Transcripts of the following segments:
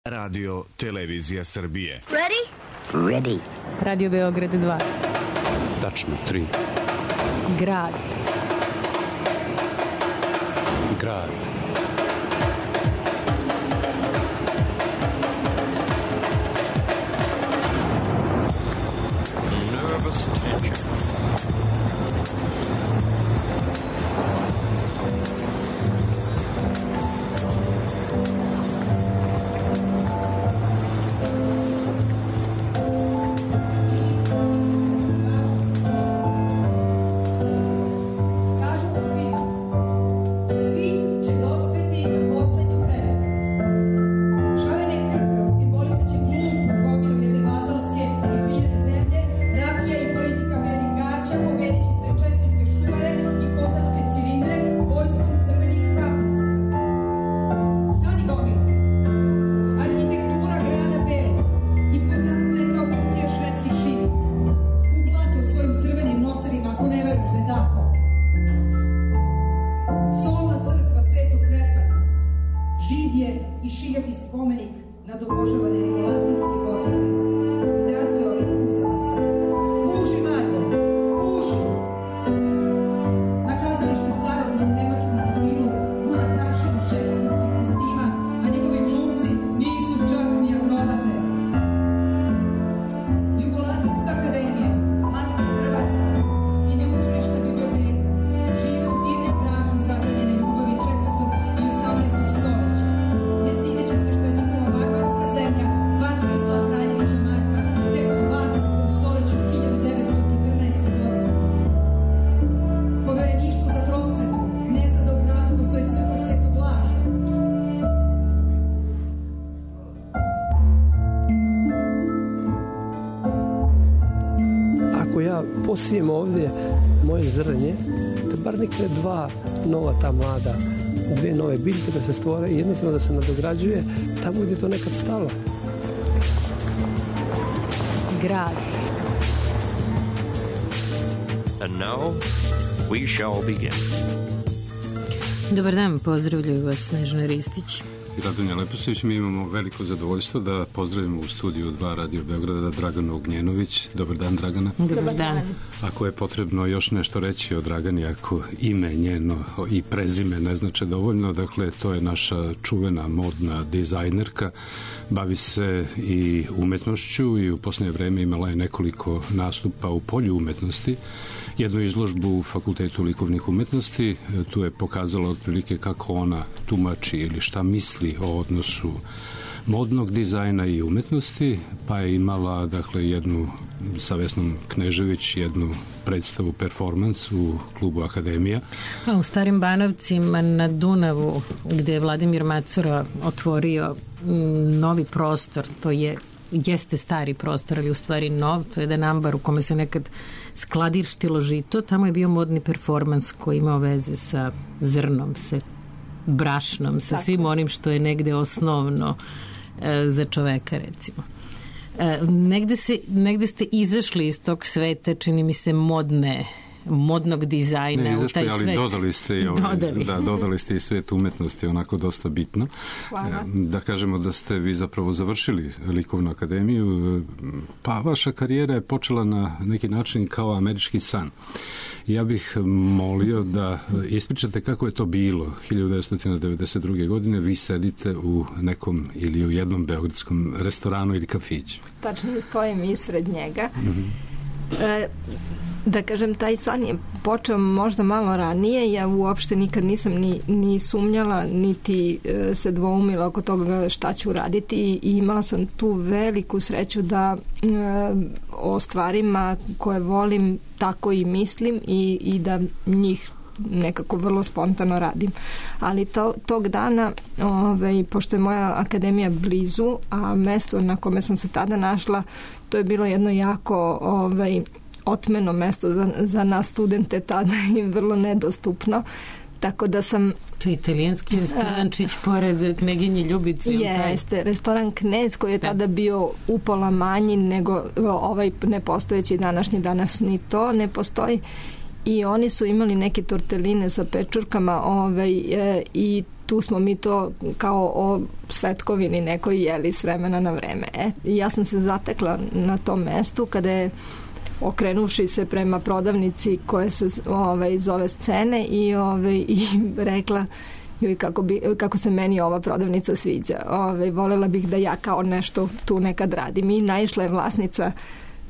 Radio Televizija Srbije. Ready? Ready. Radio Beograd 2. Tačno 3. Grad. Grad. Nervous tension. Posijem ovdje moje zrnje, da bar nikne dva nova ta mlada, dve nove biljke da se stvore i jednostavno da se nadograđuje tamo gdje je to nekad stalo. Grad. And now we shall begin. Dobar dan, pozdravljaju vas Snežana Ristić i Radonja Leposić. Mi imamo veliko zadovoljstvo da pozdravimo u studiju 2 Radio Beograda Draganu Ognjenović. Dobar dan, Dragana. Dobar dan. Ako je potrebno još nešto reći o Dragani, ako ime njeno i prezime ne znače dovoljno, dakle to je naša čuvena modna dizajnerka, bavi se i umetnošću i u posljednje vreme imala je nekoliko nastupa u polju umetnosti, jednu izložbu u Fakultetu likovnih umetnosti. Tu je pokazala otprilike kako ona tumači ili šta misli o odnosu modnog dizajna i umetnosti, pa je imala dakle jednu sa Vesnom Knežević jednu predstavu performans u klubu Akademija. U Starim Banovcima na Dunavu gdje je Vladimir Macura otvorio novi prostor, to jeste stari prostor, ali u stvari nov, to je jedan ambar u kome se nekad skladištilo žito, tamo je bio modni performans koji imao veze sa zrnom, sa brašnom, sa svim onim što je negde osnovno za čoveka, recimo. Negde ste izašli iz tog sveta, čini mi se, modnog dizajna. Ne izašli, u taj ali svet. dodali ste i svet umetnosti, onako dosta bitno. Hvala. Da kažemo da ste vi zapravo završili likovnu akademiju, pa vaša karijera je počela na neki način kao američki san. Ja bih molio da ispričate kako je to bilo. 1992. godine vi sedite u nekom ili u jednom beogradskom restoranu ili kafiću. Tačno stojim ispred njega. Da kažem, taj san je počeo možda malo ranije. Ja uopšte nikad nisam ni sumnjala, niti se dvoumila oko toga šta ću raditi i imala sam tu veliku sreću da o stvarima koje volim tako i mislim i da njih nekako vrlo spontano radim. Ali tog dana, pošto je moja akademija blizu, a mesto na kome sam se tada našla, to je bilo jedno jako otmeno mesto za nas studente tada i vrlo nedostupno. Tako da sam... To je italijanski restorančić pored Kneginje Ljubice. Jeste, restoran Knez koji je tada bio upola manji nego ovaj nepostojeći današnji. Danas ni to ne postoji. i oni su imali neke torteline sa pečurkama i tu smo mi to kao o svetkovini nekoj jeli s vremena na vreme. Ja sam se zatekla na tom mestu kada je okrenuvši se prema prodavnici koja se zove Scene i rekla kako se meni ova prodavnica sviđa. Volela bih da ja kao nešto tu nekad radim. I naišla je vlasnica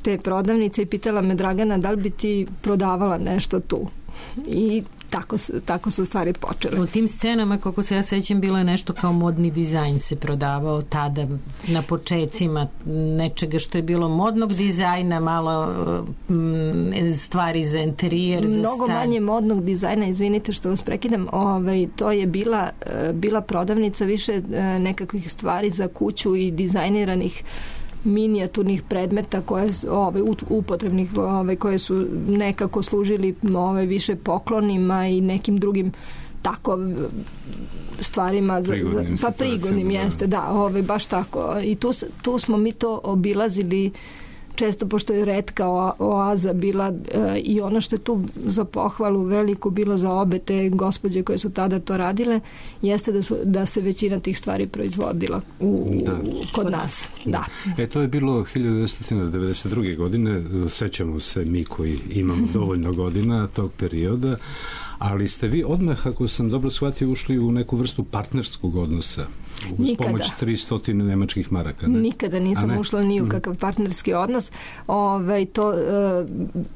te prodavnice i pitala me, Dragana, da li bi ti prodavala nešto tu? I tako su stvari počele. U tim scenama, kako se ja sećam, bilo je nešto kao modni dizajn se prodavao tada na počecima nečega što je bilo modnog dizajna, malo stvari za interijer, za stan. Mnogo manje modnog dizajna, izvinite što vas prekidam, to je bila prodavnica više nekakvih stvari za kuću i dizajniranih minijaturnih predmeta koje upotrebnih koje su nekako služili više poklonima i nekim drugim tako stvarima prigodnim jeste, da, baš tako. I tu smo mi to obilazili često, pošto je retka oaza bila i ono što je tu za pohvalu veliku bilo za obe te gospođe koje su tada to radile, jeste da se većina tih stvari proizvodila kod nas. Da. To je bilo 1992. godine, sećamo se mi koji imamo dovoljno godina tog perioda, ali ste vi odmah, ako sam dobro shvatio, ušli u neku vrstu partnerskog odnosa uz pomoć 300 nemačkih maraka. Ne? Nikada nisam ušla ni u kakav partnerski odnos.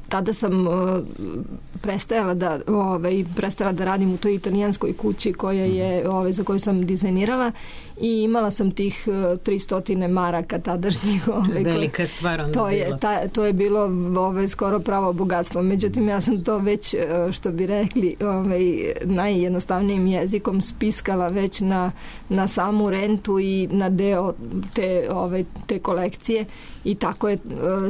Tada sam prestala da radim u toj italijanskoj kući koja je, za koju sam dizajnirala i imala sam tih 300 maraka tadašnjih. Velika stvar onda bila. To je bilo skoro pravo bogatstvo. Međutim, ja sam to već, što bi rekli, najjednostavnijim jezikom spiskala već na samu rentu i na deo te kolekcije i tako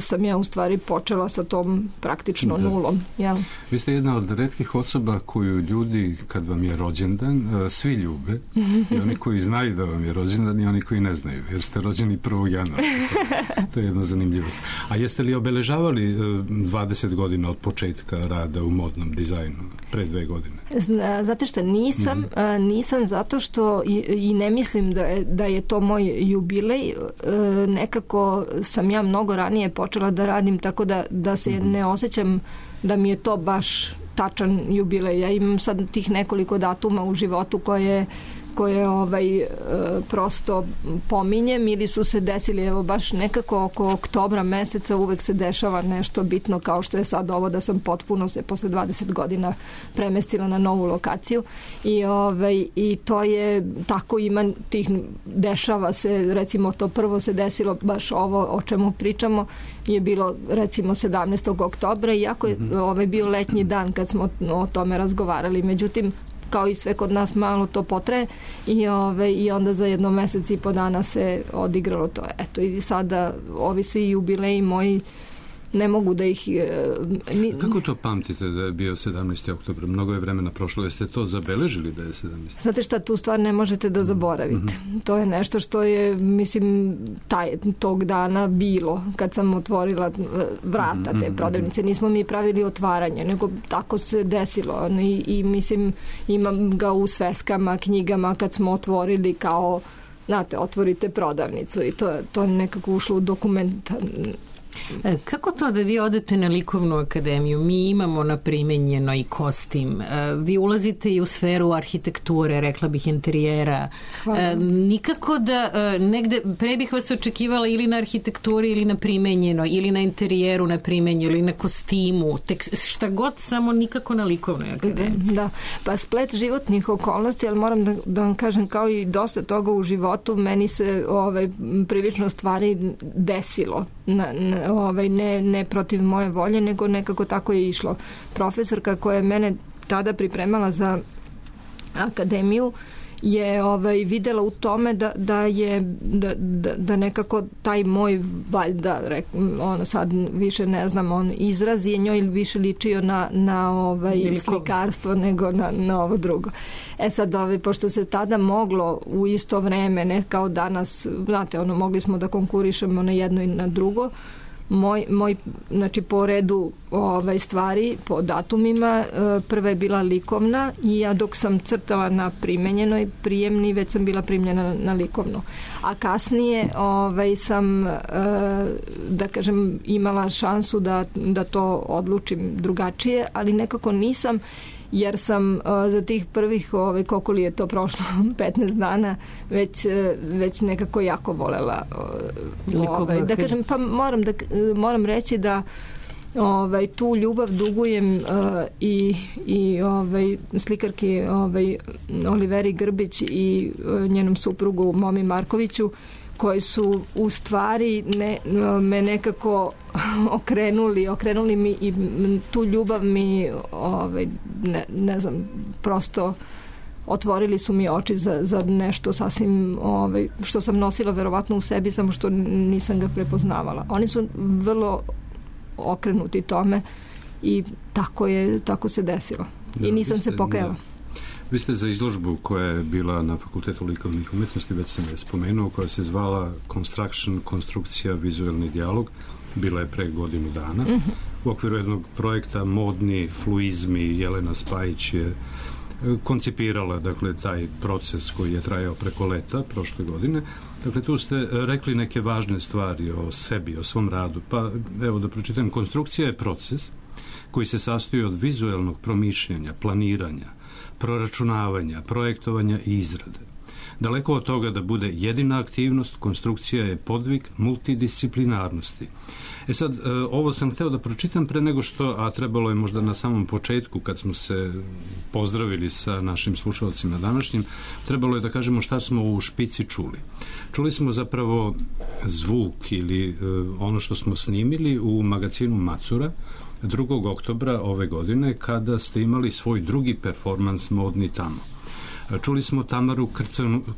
sam ja u stvari počela sa tom praktično nulom. Jel? Vi ste jedna od retkih osoba koju ljudi, kad vam je rođendan, svi ljube, i oni koji znaju da vam je rođendan i oni koji ne znaju, jer ste rođeni 1. januara. To je jedna zanimljivost. A jeste li obeležavali 20 godina od početka rada u modnom dizajnu, pre 2 godine? Znate šta, nisam zato što i ne mislim da je to moj jubilej. Nekako sam ja mnogo ranije počela da radim, tako da se ne osjećam da mi je to baš tačan jubilej. Ja imam sad tih nekoliko datuma u životu koje prosto pominjem ili su se desili, evo baš nekako oko oktobra meseca uvek se dešava nešto bitno, kao što je sad ovo da sam potpuno se posle 20 godina premestila na novu lokaciju i to je tako, ima tih, dešava se, recimo to prvo se desilo baš ovo o čemu pričamo je bilo recimo 17. oktobra, iako je bio letnji dan kad smo o tome razgovarali, međutim kao i sve kod nas malo to potraje i onda za 1 mesec i po dana se odigralo to. Eto, i sada ovi svi jubileji moji ne mogu da ih... Kako to pamtite da je bio 17. oktobra? Mnogo je vremena prošlo. Jeste to zabeležili da je 17. Znate šta, tu stvar ne možete da zaboravite. To je nešto što je, mislim, tog dana bilo kad sam otvorila vrata te prodavnice. Nismo mi pravili otvaranje, nego tako se desilo. I mislim, imam ga u sveskama, knjigama kad smo otvorili kao, znate, otvorite prodavnicu i to je nekako ušlo u dokument. Kako to da vi odete na likovnu akademiju? Mi imamo na primenjeno i kostim. Vi ulazite i u sferu arhitekture, rekla bih interijera. Nikako da negde, pre bih vas očekivala ili na arhitekturi ili na primenjeno, ili na interijeru na primenjeno, ili na kostimu, šta god, samo nikako na likovnoj akademiji. Da, pa splet životnih okolnosti, ali moram da vam kažem, kao i dosta toga u životu, meni se prilično stvari desilo. Ne protiv moje volje, nego nekako tako je išlo. Profesorka koja je mene tada pripremala za akademiju je videla u tome da nekako taj moj, valjda, sad više ne znam, on izraz je njoj više ličio na slikarstvo nego na ovo drugo. Sad, pošto se tada moglo u isto vreme, ne kao danas, znate, mogli smo da konkurišemo na jedno i na drugo, moj znači po redu stvari, po datumima, prva je bila likovna i ja dok sam crtala na primenjenoj prijemni, već sam bila primljena na likovnu. A kasnije sam, da kažem, imala šansu da to odlučim drugačije, ali nekako nisam, jer sam za tih prvih, koliko li je to prošlo, 15 dana, već nekako jako volela. Da kažem, pa moram reći da tu ljubav dugujem i slikarki Oliveri Grbić i njenom suprugu Momi Markoviću, koji su u stvari me nekako okrenuli mi i tu ljubav mi ne znam, prosto otvorili su mi oči za nešto sasvim što sam nosila verovatno u sebi, samo što nisam ga prepoznavala. Oni su vrlo okrenuti tome i tako se desilo. I nisam se pokajala. Vi ste za izložbu koja je bila na Fakultetu likovnih umetnosti, već sam je spomenuo, koja se zvala Construction, konstrukcija, vizuelni dijalog, bila je pre godinu dana. U okviru jednog projekta Modni fluizmi, Jelena Spajić je koncipirala, dakle, taj proces koji je trajao preko leta prošle godine. Dakle, tu ste rekli neke važne stvari o sebi, o svom radu. Pa, evo da pročitam, konstrukcija je proces koji se sastoji od vizuelnog promišljanja, planiranja, proračunavanja, projektovanja i izrade. Daleko od toga da bude jedina aktivnost, konstrukcija je podvig multidisciplinarnosti. Sad, ovo sam hteo da pročitam pre nego što, a trebalo je možda na samom početku, kad smo se pozdravili sa našim slušalcima današnjim, trebalo je da kažemo šta smo u špici čuli. Čuli smo zapravo zvuk ili ono što smo snimili u magazinu Macura 2. oktobra ove godine, kada ste imali svoj drugi performans Modni tamo. Čuli smo Tamaru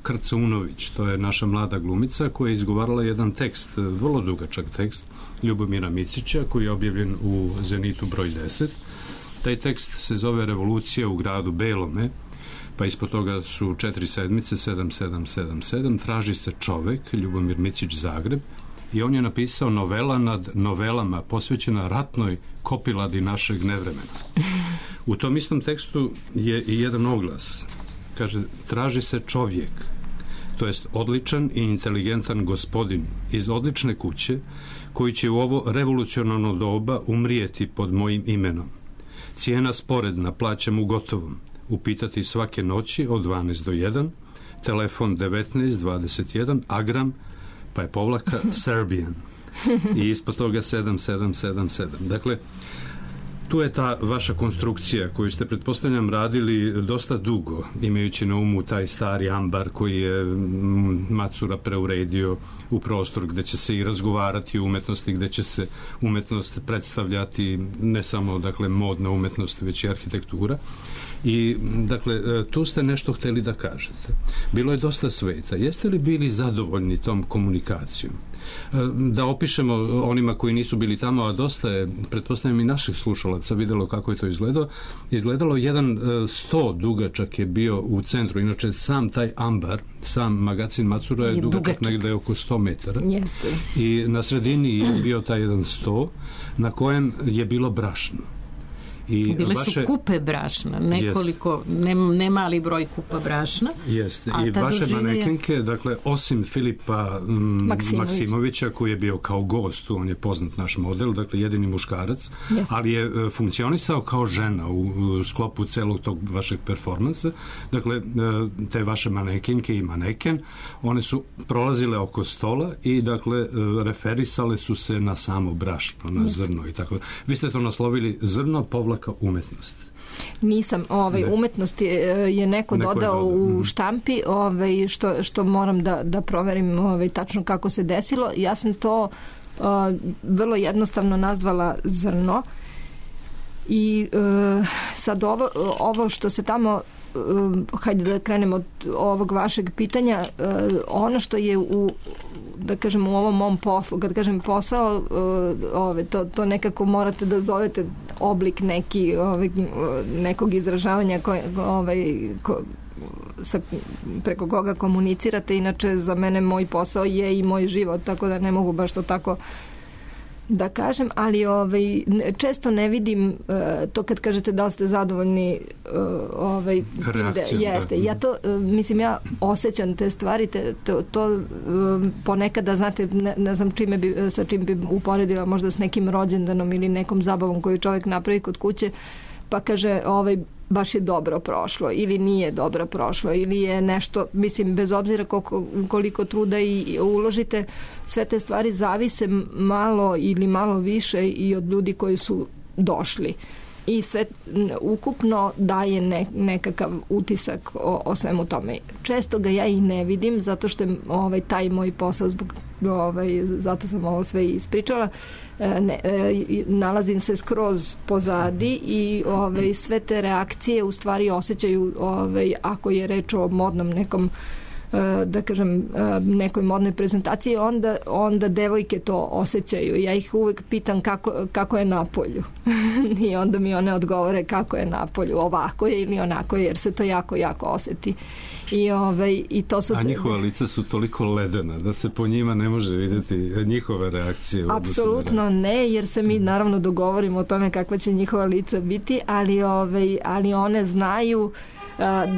Krcunović, to je naša mlada glumica koja je izgovarala jedan tekst, vrlo dugačak tekst Ljubomira Micića, koji je objavljen u Zenitu broj 10. Taj tekst se zove Revolucija u gradu Belome, pa ispod toga su 4 sedmice, 7777, traži se čovek, Ljubomir Micić, Zagreb, i on je napisao novela nad novelama posvećena ratnoj kopiladi našeg nevremena. U tom istom tekstu je i jedan oglas. Kaže, traži se čovjek, to jest odličan i inteligentan gospodin iz odlične kuće, koji će u ovo revolucionarno doba umrijeti pod mojim imenom. Cijena sporedna, plaćam u gotovom, upitati svake noći od 12 do 1, telefon 1921, agram, pa je povlaka Serbian i ispod toga 7777. Dakle, tu je ta vaša konstrukcija koju ste, pretpostavljam, radili dosta dugo, imajući na umu taj stari ambar koji je Macura preuredio u prostor gde će se i razgovarati o umetnosti, gde će se umetnost predstavljati, ne samo, dakle, modna umetnost, već i arhitektura. I, dakle, tu ste nešto hteli da kažete. Bilo je dosta sveta. Jeste li bili zadovoljni tom komunikacijom? Da opišemo onima koji nisu bili tamo, a dosta je, pretpostavljam, i naših slušalaca videlo kako je to izgledalo. Jedan sto dugačak je bio u centru. Inače, sam taj ambar, sam magazin Macura je dugačak negde oko 100 metara. Jeste. I na sredini je bio taj jedan sto na kojem je bilo brašno. I bile su kupe brašna, nekoliko, ne mali broj kupa brašna. Jeste. I vaše manekenke, dakle, osim Filipa Maksimovića, koji je bio kao gost, on je poznat naš model, dakle, jedini muškarac, ali je funkcionisao kao žena u sklopu celog tog vašeg performansa. Dakle, te vaše manekenke i maneken, one su prolazile oko stola i, dakle, referisale su se na samo brašno, na zrno i tako. Vi ste to naslovili zrno povlaka umetnost. Nisam, umetnost je neko dodao u štampi, što moram da proverim tačno kako se desilo. Ja sam to vrlo jednostavno nazvala zrno i sad ovo što se tamo, hajde da krenemo od ovog vašeg pitanja, ono što je u ovom mom poslu, kad kažem posao, to nekako morate da zovete oblik nekog izražavanja preko koga komunicirate. Inače, za mene moj posao je i moj život, tako da ne mogu baš to tako da kažem, ali često ne vidim to kad kažete da li ste zadovoljni reakcijom. Jeste. Ja to, mislim, ja osjećam te stvari, to ponekada, znate, ne znam sa čim bi uporedila, možda s nekim rođendanom ili nekom zabavom koju čovjek napravi kod kuće, pa kaže, baš je dobro prošlo ili nije dobro prošlo ili je nešto, mislim, bez obzira koliko truda i uložite, sve te stvari zavise malo ili malo više i od ljudi koji su došli. I sve ukupno daje nekakav utisak o svemu tome. Često ga ja i ne vidim, zato što je taj moj posao, zato sam ovo sve ispričala, nalazim se skroz pozadi i sve te reakcije u stvari osjećaju, ako je reč o modnom nekom, da kažem, nekoj modnoj prezentaciji, onda devojke to osjećaju. Ja ih uvek pitam kako je napolju. I onda mi one odgovore kako je napolju. Ovako je ili onako je, jer se to jako, jako osjeti. I to su... A njihova lica su toliko ledena da se po njima ne može vidjeti njihove reakcije. Apsolutno ne, jer se mi naravno dogovorimo o tome kakva će njihova lica biti, ali one znaju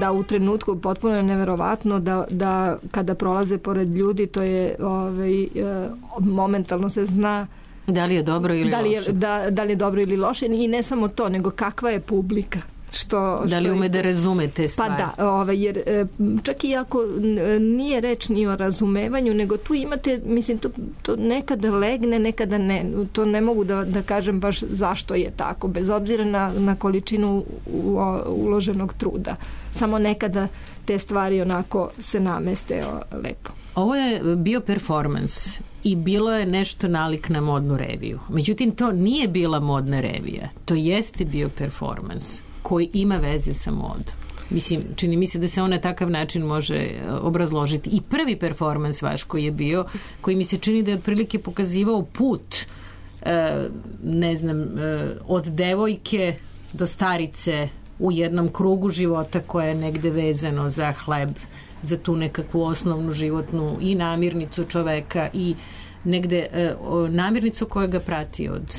da u trenutku potpuno je neverovatno da kada prolaze pored ljudi, to je momentalno se zna da li je dobro ili loše. Da li je dobro ili loše, i ne samo to, nego kakva je publika. Da li ume da razume te stvari? Pa da, jer čak i ako nije reč ni o razumevanju, nego tu imate, mislim, to nekada legne, nekada ne. To ne mogu da kažem baš zašto je tako, bez obzira na količinu uloženog truda. Samo nekada te stvari onako se nameste lepo. Ovo je bio performans i bilo je nešto nalik na modnu reviju. Međutim, to nije bila modna revija. To jeste bio performans koji ima veze sa modom. Mislim, čini mi se da se on na takav način može obrazložiti. I prvi performans vaš koji je bio, koji mi se čini da je otprilike pokazivao put, ne znam, od devojke do starice u jednom krugu života koje je negde vezano za hleb, za tu nekakvu osnovnu životnu i namirnicu čoveka i negde namirnicu koja ga prati od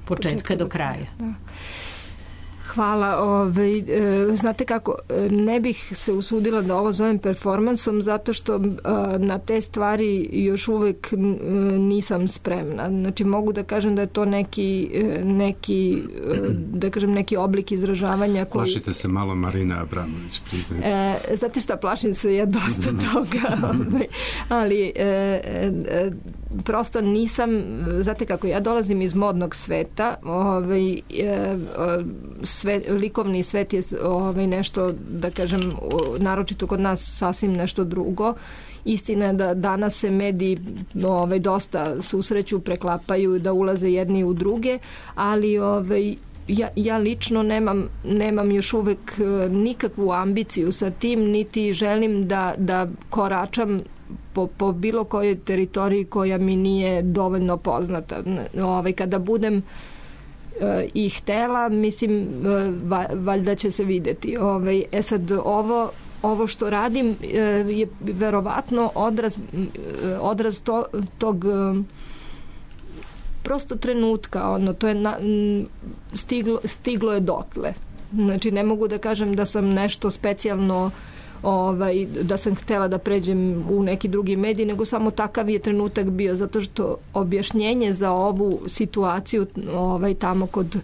početka do kraja. Da. Hvala. Znate kako, ne bih se usudila da ovo zovem performansom, zato što na te stvari još uvek nisam spremna. Znači, mogu da kažem da je to neki da kažem, neki oblik izražavanja koji... Plašite se malo Marina Abramović, priznajem. Znate šta, plašim se ja dosta toga. Ali prosto nisam, znate kako, ja dolazim iz modnog sveta, likovni svet je nešto, da kažem, naročito kod nas sasvim nešto drugo. Istina je da danas se mediji dosta susreću, preklapaju, da ulaze jedni u druge, ali ja lično nemam još uvek nikakvu ambiciju sa tim, niti želim da koračam po bilo kojoj teritoriji koja mi nije dovoljno poznata. Kada budem i htela, mislim, valjda će se videti. Sad, ovo što radim je verovatno odraz tog prosto trenutka, to je stiglo je dotle. Znači, ne mogu da kažem da sam nešto specijalno, da sam htela da pređem u neki drugi medij, nego samo takav je trenutak bio, zato što objašnjenje za ovu situaciju tamo kod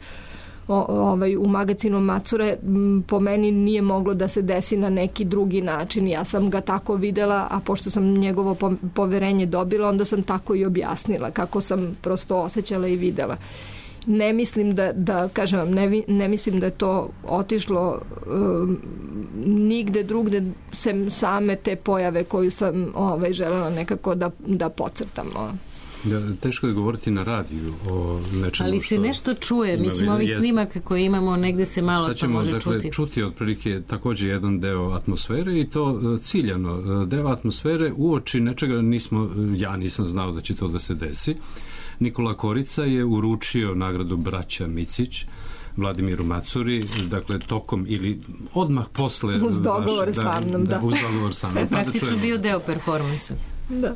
u magazinu Macure po meni nije moglo da se desi na neki drugi način. Ja sam ga tako videla, a pošto sam njegovo poverenje dobila, onda sam tako i objasnila kako sam prosto osjećala i videla. Ne mislim da kažem vam, ne mislim da je to otišlo nigde drugde sem same te pojave koju sam želela nekako da podcrtam. Teško je govoriti na radiju o nečemu. Ali se nešto čuje, mislim, ovih snimaka koje imamo, negde se malo to može čuti. Sad ćemo čuti otprilike također jedan deo atmosfere, i to ciljano. Deo atmosfere uoči nečega ja nisam znao da će to da se desi. Nikola Korica je uručio nagradu braća Micić Vladimiru Macuri, dakle tokom ili odmah posle uz dogovor sa mnom, da. Uz dogovor sa mnom. Praktično bio deo performansa. Da.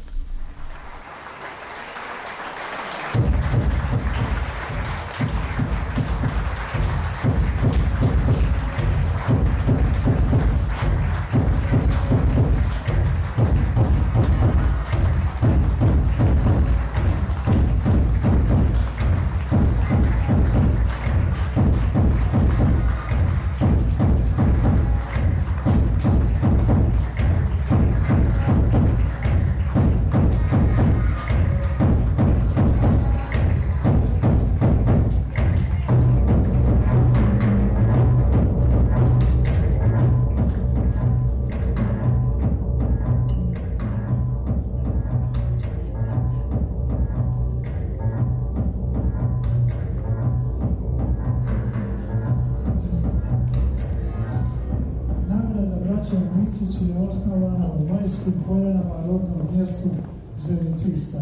zasnovana u Majskim Poljanama, rodnom mjestu Zenicista.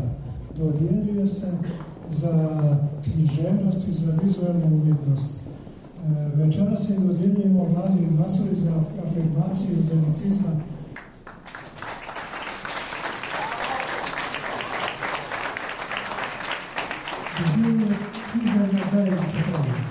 Dodjeljuje se za književnost i za vizualnu umjetnost. Večeras se dodjeljujemo Vladi Macuri za afirmaciju zenicizma. Dodjeljuje književna zajednica Krajine.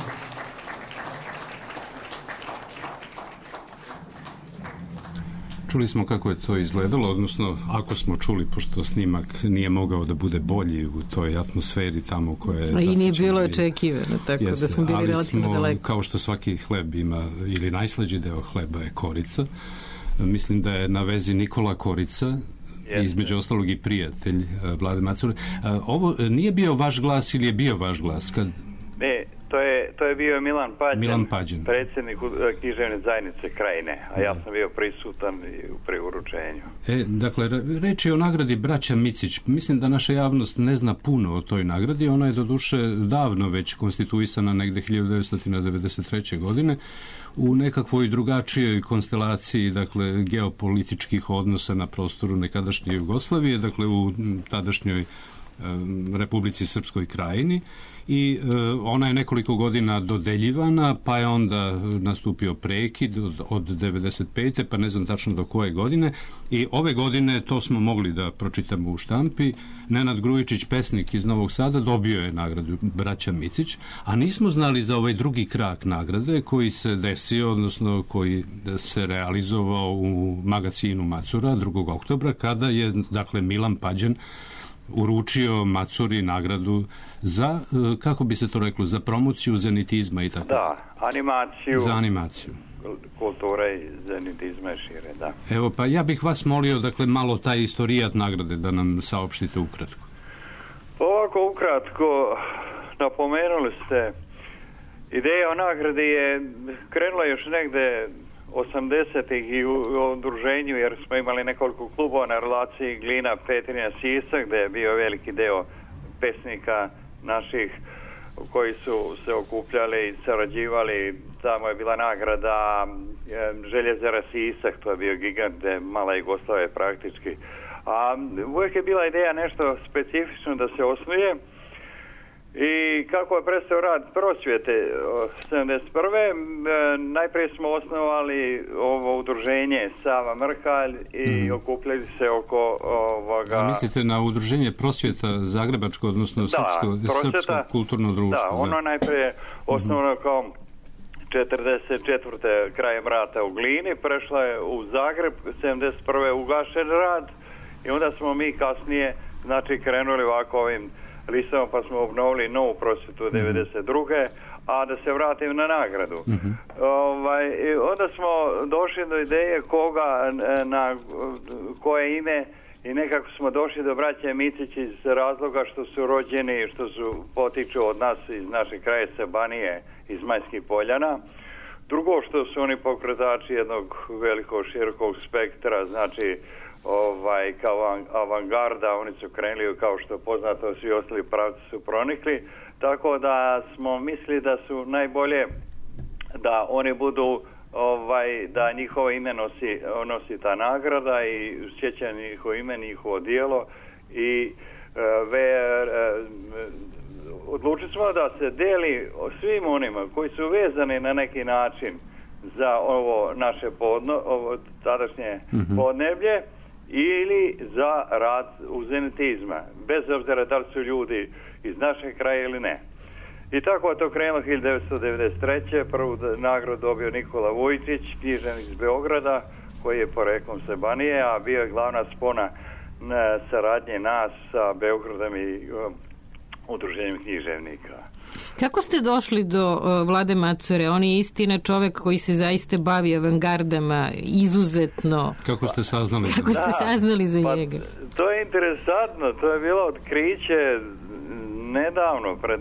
Čuli smo kako je to izgledalo, odnosno ako smo čuli, pošto snimak nije mogao da bude bolji u toj atmosferi tamo koja je zasičena. I nije bilo očekivano, tako da smo bili relativno daleko. Ali kao što svaki hleb ima, ili najslađi deo hleba je korica, mislim da je na vezi Nikola Korica, između ostalog i prijatelj Vlade Macure. Ovo nije bio vaš glas ili je bio vaš glas? Ne, to je bio Milan Pađen, predsjednik književne zajednice Krajine, a ja sam bio prisutan pri uručenju. Dakle, reč je o nagradi Braća Micić. Mislim da naša javnost ne zna puno o toj nagradi. Ona je doduše davno već konstituisana, negde 1993. godine, u nekakvoj drugačijoj konstelaciji, dakle, geopolitičkih odnosa na prostoru nekadašnje Jugoslavije, dakle, u tadašnjoj Republici Srpskoj Krajini, i ona je nekoliko godina dodeljivana, pa je onda nastupio prekid od 95. pa ne znam tačno do koje godine, i ove godine, to smo mogli da pročitamo u štampi, Nenad Grujičić, pesnik iz Novog Sada, dobio je nagradu Braća Micić, a nismo znali za ovaj drugi krak nagrade koji se desio, odnosno koji se realizovao u magazinu Macura 2. oktobra, kada je, dakle, Milan Pađen uručio Macuri nagradu za, kako bi se to reklo, za promociju zenitizma i tako. Da, animaciju. Za animaciju. Kultura i zenitizma je šire, da. Evo, pa ja bih vas molio, dakle, malo taj istorijat nagrade da nam saopštite ukratko. Ovako ukratko, napomenuli ste, ideja o nagradi je krenula još negde 80-ih i u udruženju, jer smo imali nekoliko klubova na relaciji Glina, Petrinja, Sisak, gde je bio veliki deo pesnika naših koji su se okupljali i sarađivali. Tamo je bila nagrada Željezara Sisak, to je bio gigant, gde mala Jugoslavija praktički. A uvijek je bila ideja nešto specifično da se osnuje. I kako je prestao rad prosvjete 71. Najprije smo osnovali ovo udruženje Sava Mrhalj i okupljali se oko ovoga... A mislite na udruženje prosvjeta Zagrebačko, odnosno Srpsko kulturno društvo? Da, ono najprije osnovano kao 44. krajem rata u Glini, prešla je u Zagreb, 71. ugašen rad i onda smo mi kasnije, znači, krenuli ovako ovim listama, pa smo obnovili novu prosvjetu 92. A da se vratim na nagradu. Onda smo došli do ideje koga, na koje ime, i nekako smo došli do braće Micić iz razloga što su rođeni, što su potiču od nas iz naše kraje Banije, iz Majskih Poljana. Drugo, što su oni pokretači jednog velikog širokog spektra, znači kao avangarda, oni su krenuli, kao što poznato, svi ostali pravci su pronikli, tako da smo mislili da su najbolje da oni budu, da njihovo ime nosi ta nagrada i sjećanje njihovo ime, njihovo dijelo, i odlučili smo da se deli svim onima koji su vezani na neki način za ovo naše tadašnje podneblje, ili za rad u zenitizma, bez obzira da li su ljudi iz našeg kraja ili ne. I tako je to krenulo 1993. Prvu nagradu dobio Nikola Vujčić, književnik iz Beograda, koji je poreklom sa Banije, a bio je glavna spona saradnje nas sa Beogradom i udruženjem književnika. Kako ste došli do Vlade Macure? On je istina čovek koji se zaista bavi avangardama, izuzetno. Kako ste saznali? Kako ste saznali za njega? To je interesantno, to je bilo otkriće nedavno, pre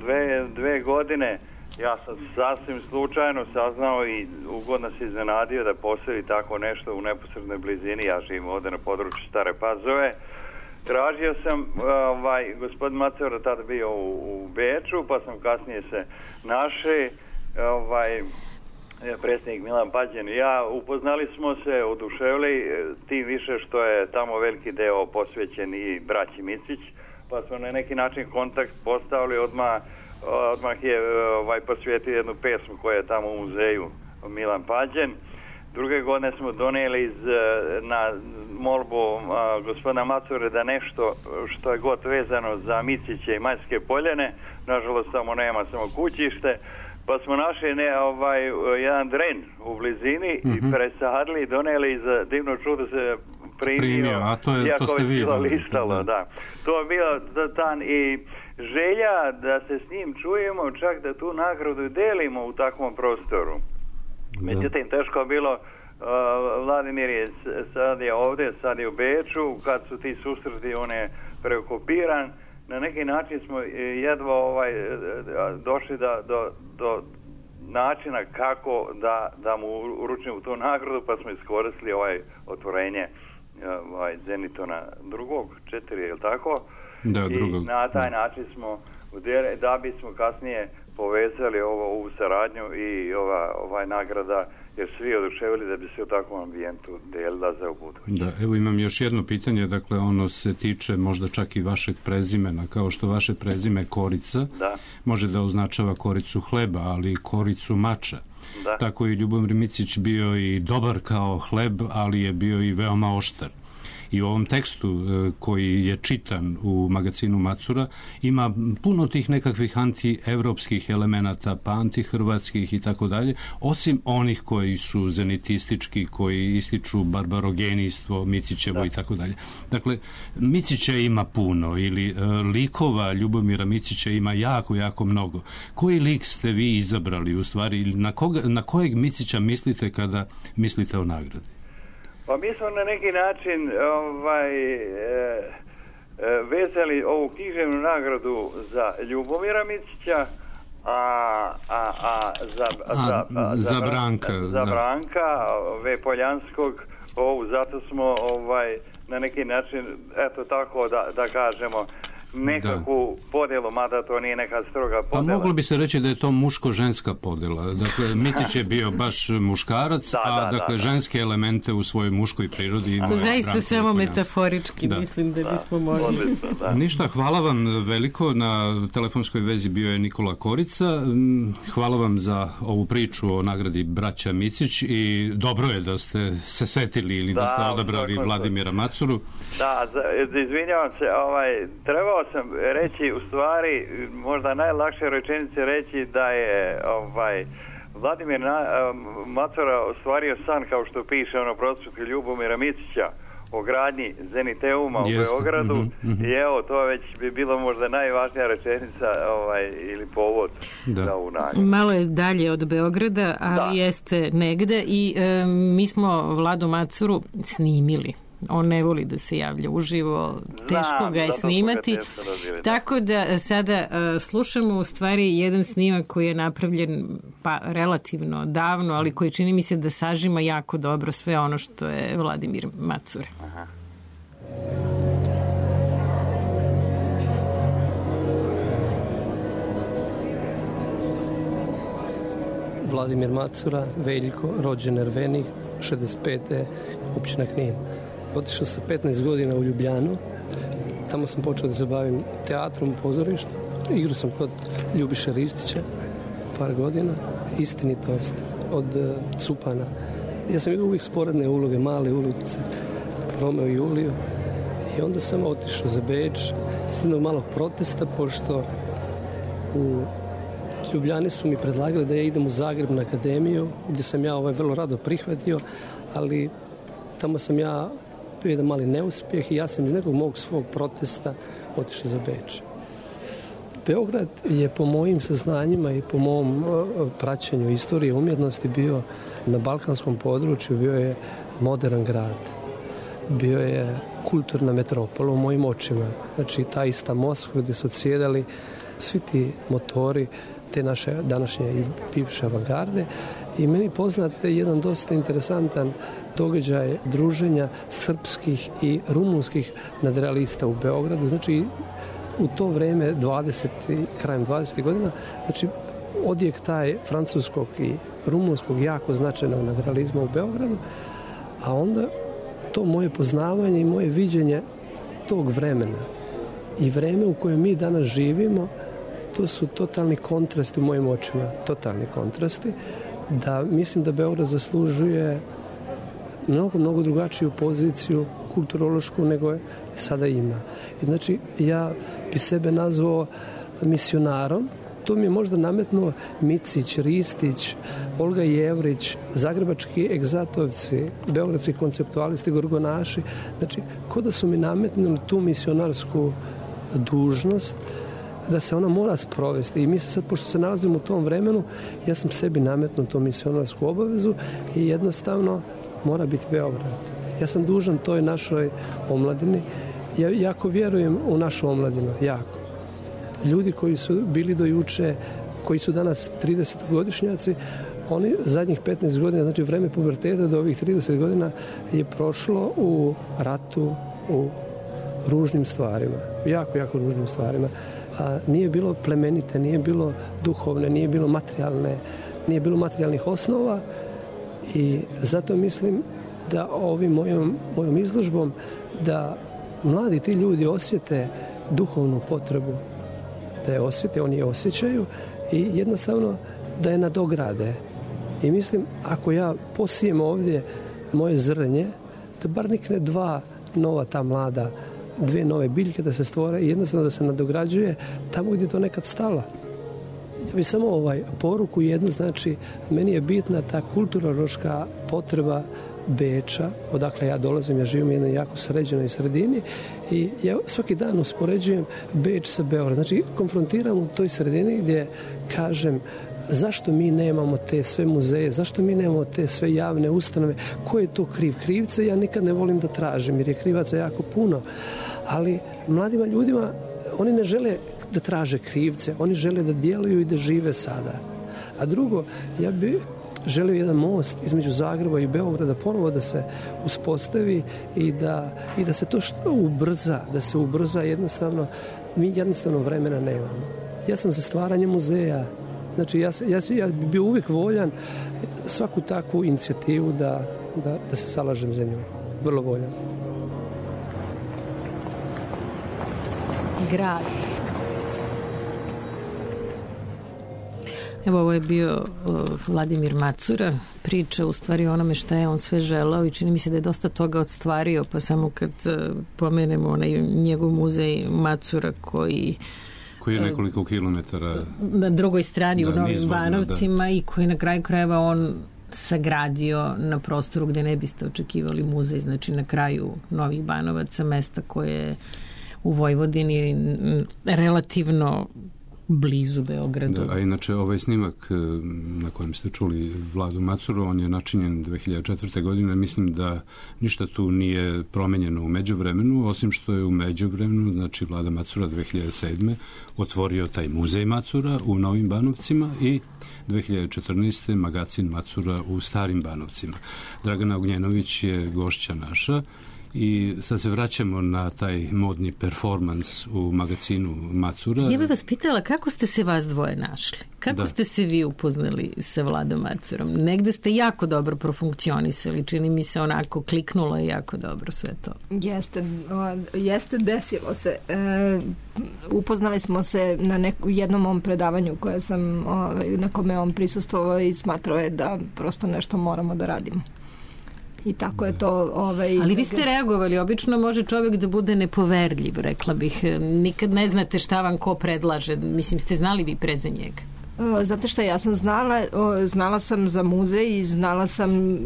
dve godine. Ja sam sasvim slučajno saznao i ugodno se iznenadio da postoji tako nešto u neposrednoj blizini. Ja živim ovdje na području Stare Pazove. Tražio sam, gospodin Macura tada bio u Beču, pa sam kasnije se našli predsjednik Milan Pađen i ja, upoznali smo se, oduševili, tim više što je tamo veliki deo posvećen i braći Micić, pa smo na neki način kontakt postavili, odmah je posvijetio jednu pesmu koja je tamo u muzeju Milan Pađen. Druge godine smo donijeli na molbu gospodina Macure da nešto što je god vezano za Miciće i Majske Poljane, nažalost tamo nema, samo kućište, pa smo našli jedan dren u blizini i presadili i donijeli za divno čudo se primio, a to ste vi listalo, da. To je bio dan i želja da se s njim čujemo, čak da tu nagradu delimo u takvom prostoru. Međutim, teško je bilo, Vladimir je sad je ovdje, sad je u Beču, kad su ti susreti, on je preokupiran, na neki način smo jedva došli do načina kako da mu uručimo tu nagradu, pa smo iskoristili otvorenje Zenitona 4, je li tako? Da, drugog. I na taj način smo da bismo kasnije povezali ovu saradnju i ova nagrada, jer svi oduševili da bi se u takvom ambijentu delila za ubuduće. Da, evo imam još jedno pitanje, dakle ono se tiče možda čak i vašeg prezimena, kao što vaše prezime Korica može da označava koricu hleba, ali i koricu mača. Da. Tako je Ljubomir Micić bio i dobar kao hleb, ali je bio i veoma oštar. I u ovom tekstu koji je čitan u magazinu Macura ima puno tih nekakvih antievropskih elemenata, pa antihrvatskih i tako dalje, osim onih koji su zenitistički, koji ističu barbarogenijstvo, Micićevo i tako dalje. Dakle, Micića ima puno ili likova Ljubomira Micića ima jako, jako mnogo. Koji lik ste vi izabrali u stvari ili na kojeg Micića mislite kada mislite o nagradi? Pa mi smo na neki način vezali ovu književnu nagradu za Ljubomira Micića, za Branka V. Poljanskog, zato smo na neki način, eto tako da kažemo, nekakvu podjelu, mada to nije neka stroga podjela. Pa moglo bi se reći da je to muško-ženska podjela. Dakle, Micić je bio baš muškarac, ženske elemente u svojoj muškoj prirodi imao. To zaista samo metaforički, mislim da bismo mogli. Ništa, hvala vam veliko. Na telefonskoj vezi bio je Nikola Korica. Hvala vam za ovu priču o nagradi braća Micić i dobro je da ste se setili ili da ste odabrali Vladimira Macuru. Da, izvinjavam se, trebao sam reći, u stvari, možda najlakše rečenice reći da je Vladimir Macura ostvario san, kao što piše prospekt Ljubomira Micića o gradnji Zeniteuma u Beogradu i evo, to već bi bilo možda najvažnija rečenica ili povod za ovu nagradu. Malo je dalje od Beograda, ali jeste negde i mi smo Vladu Macuru snimili. On ne voli da se javlja uživo, teško ga je snimati, tako da sada slušamo u stvari jedan snimak koji je napravljen relativno davno, ali koji čini mi se da sažima jako dobro sve ono što je Vladimir Macura. Vladimir Macura, Veljko, rođen Ervenik, 65. općina Knin. Otišao sam 15 godina u Ljubljanu, tamo sam počeo da se bavim teatrom, pozorištem, igrao sam kod Ljubiše Ristića par godina, istinitost od Cupana. Ja sam igrao uvijek sporedne uloge, male ulice, Romeo i Juliju i onda sam otišao za Beč, jednog malog protesta, pošto u Ljubljani su mi predlagali da ja idem u Zagreb na akademiju, gdje sam ja vrlo rado prihvatio, ali tamo sam ja bio jedan mali neuspjeh i ja sam iz nekog mog svog protesta otišao za Beč. Beograd je po mojim saznanjima i po mom praćenju istorije umjetnosti bio na balkanskom području, bio je modern grad, bio je kulturna metropola u mojim očima. Znači ta ista Moskva gdje su odsjedali svi ti motori te naše današnje i bivše avangarde i meni poznat jedan dosta interesantan događaj druženja srpskih i rumunskih nadrealista u Beogradu. Znači u to vrijeme krajem 20. godina, znači odjek taj francuskog i rumunskog jako značajnog nadrealizma u Beogradu, a onda to moje poznavanje i moje viđenje tog vremena i vreme u kojem mi danas živimo, to su totalni kontrasti u mojim očima, totalni kontrasti, da mislim da Beograd zaslužuje mnogo drugačiju poziciju kulturološku nego je sada ima. I znači, ja bi sebe nazvao misionarom. To mi je možda nametnuo Micić, Ristić, Olga Jevrić, zagrebački egzatovci, beogradski konceptualisti, gorgonaši. Znači, ko da su mi nametnuli tu misionarsku dužnost, da se ona mora sprovesti. I mi se sad, pošto se nalazimo u tom vremenu, ja sam sebi nametnuo tu misionarsku obavezu i jednostavno mora biti Beograd. Ja sam dužan toj našoj omladini. Ja jako vjerujem u našu omladinu, jako. Ljudi koji su bili do juče, koji su danas 30-godišnjaci, oni zadnjih 15 godina, znači vreme puberteta do ovih 30 godina je prošlo u ratu, u ružnim stvarima, jako ružnim stvarima. A nije bilo plemenite, nije bilo duhovne, nije bilo materijalne, nije bilo materijalnih osnova i zato mislim da ovim mojom izložbom da mladi ti ljudi osjete duhovnu potrebu, da je osjete, oni je osjećaju i jednostavno da je nadograde. I mislim, ako ja posijem ovdje moje zrnje, da bar nikne dva nova ta mlada, dvije nove biljke da se stvore i jednostavno da se nadograđuje tamo gdje je to nekad stalo. Ja bih samo poruku jednu, znači, meni je bitna ta kulturološka potreba Beča, odakle ja dolazim, ja živim u jednoj jako sređenoj sredini i ja svaki dan uspoređujem Beč sa Beograd. Znači, konfrontiram u toj sredini gdje kažem zašto mi nemamo te sve muzeje, zašto mi nemamo te sve javne ustanove, ko je to kriv? Krivce ja nikad ne volim da tražim jer je krivaca jako puno, ali mladima ljudima oni ne žele da traže krivce, oni žele da djeluju i da žive sada. A drugo, ja bih želio jedan most između Zagreba i Beograda ponovo da se uspostavi i da se to što ubrza, da se ubrza jednostavno, mi jednostavno vremena nemamo. Ja sam za stvaranje muzeja, znači ja bih bio uvijek voljan svaku takvu inicijativu da se zalažem za nju. Vrlo voljan. Grad. Evo, ovo je bio Vladimir Macura, priča u stvari o onome šta je on sve želao i čini mi se da je dosta toga odstvario, pa samo kad pomenemo onaj njegov muzej Macura koji je nekoliko kilometara na drugoj strani u Novim Banovcima i koji na kraju krajeva on sagradio na prostoru gdje ne biste očekivali muzej, znači na kraju Novih Banovaca, mesta koje je u Vojvodini relativno blizu Beogradu. Da, a inače ovaj snimak na kojem ste čuli Vladu Macuru, on je načinjen 2004. godine. Mislim da ništa tu nije promenjeno u međuvremenu, osim što je u međuvremenu, znači Vlada Macura 2007. otvorio taj muzej Macura u Novim Banovcima i 2014. magazin Macura u Starim Banovcima. Dragana Ognjenović je gošća naša. I sad se vraćamo na taj modni performans u magazinu Macura. Ja bih vas pitala kako ste se vas dvoje našli? Kako ste se vi upoznali sa Vladom Macurom? Negde ste jako dobro profunkcionisali, čini mi se onako kliknulo je jako dobro sve to. Jeste desilo se. Upoznali smo se na jednom mom predavanju koje sam, na kome on prisustvovao i smatrao je da prosto nešto moramo da radimo. I tako je to... Ali vi ste reagovali. Obično može čovjek da bude nepoverljiv, rekla bih. Nikad ne znate šta vam ko predlaže. Mislim, ste znali vi pre za njega? Zato što ja sam znala sam za muzej i znala sam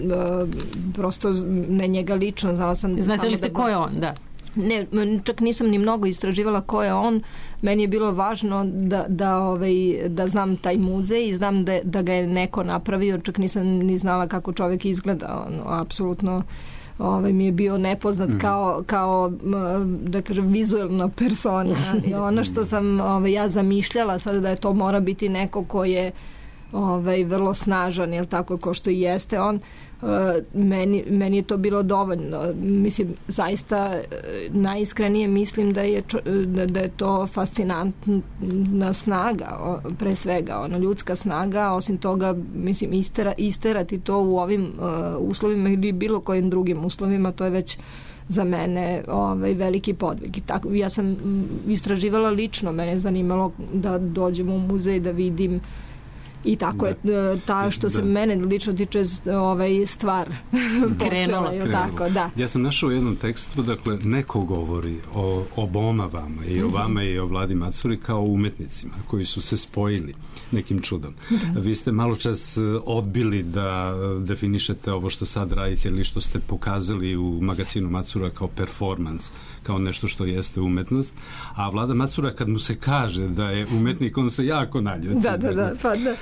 prosto ne njega lično. Znala sam znate li ste ko je on, da? Ne, čak nisam ni mnogo istraživala ko je on. Meni je bilo važno da znam taj muzej i znam da ga je neko napravio. Čak nisam ni znala kako čovjek izgleda. Apsolutno mi je bio nepoznat kao da kažem vizuelna persona. I ono što sam ja zamišljala sada da je to mora biti neko ko je vrlo snažan, jel tako, ko što i jeste on. Meni je to bilo dovoljno. Mislim, zaista najiskrenije mislim da je to fascinantna snaga, pre svega, ljudska snaga, osim toga, mislim, isterati to u ovim uslovima ili bilo kojim drugim uslovima, to je već za mene veliki podvig. Ja sam istraživala lično, mene je zanimalo da dođem u muzej, da vidim, i tako je što se mene lično tiče stvar krenula. Tako, da. Ja sam našao u jednom tekstu, dakle, neko govori o oboma vama i o vama i o Vladi Macuri kao umetnicima koji su se spojili nekim čudom. Vi ste malo čas odbili da definišete ovo što sad radite ili što ste pokazali u magazinu Macura kao performans, kao nešto što jeste umetnost, a Vlada Macura kad mu se kaže da je umetnik, on se jako naljuti. Da, pa da.